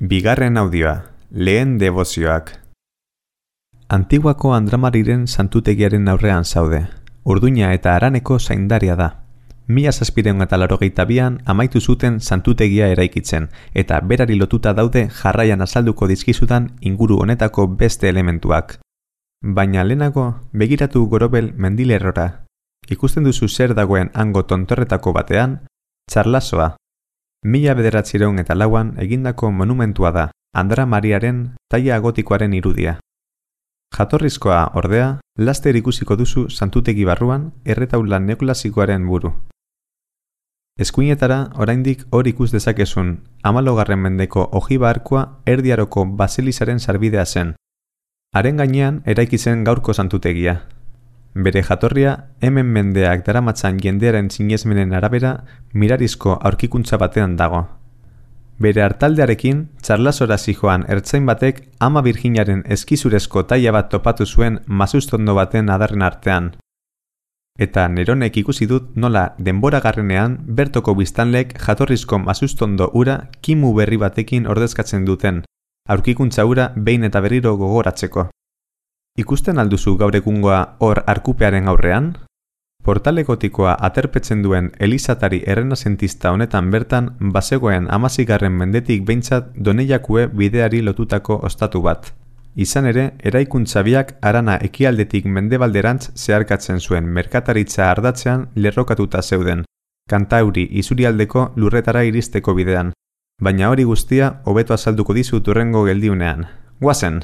Bigarren audioa, lehen debozioak. Antiguako Andramariren santutegiaren aurrean zaude. Urduña eta Haraneko zaindaria da. 1782an amaitu zuten santutegia eraikitzen, eta berari lotuta daude jarraian azalduko dizkizudan inguru honetako beste elementuak. Baina lehenago, begiratu Gorobel mendilerrora. Ikusten duzu zer dagoen hango tontorretako batean, Txarlasoa. 1904an egindako monumentua da, Andra Mariaren taila gotikoaren irudia. Jatorrizkoa, ordea, laster ikusiko duzu santutegi barruan erretaula neoklasikoaren buru. Eskuinetara oraindik hor ikus dezakezun, 14. mendeko ojiba arkua Erdi Aroko baselizaren sarbidea zen. Haren gainean eraiki zen gaurko santutegia. Bere jatorria, hemen mendeak daramatzan jendearen sinesmenen arabera, mirarizko aurkikuntza batean dago. Bere hartaldearekin, Txarlasora zijoan ertzain batek Ama Birjinaren eskizurezko taila bat topatu zuen mazustondo baten adarren artean. Eta neronek ikusi dut nola denbora garrenean bertoko biztanlek jatorrizko mazustondo ura kimu berri batekin ordezkatzen duten, aurkikuntza ura behin eta berriro gogoratzeko. Ikusten alduzu gaur egungoa hor arkupearen aurrean? Portale gotikoa aterpetzen duen elizatari errenazentista honetan bertan bazegoen 16. mendetik behintzat Doneiakue bideari lotutako ostatu bat. Izan ere, eraikuntza biak Harana ekialdetik mendebalderantz zeharkatzen zuen merkataritza ardatzean lerrokatuta zeuden, Kantauri isurialdeko lurretara iristeko bidean. Baina hori guztia hobeto azalduko dizut hurrengo geldiunean. Goazen!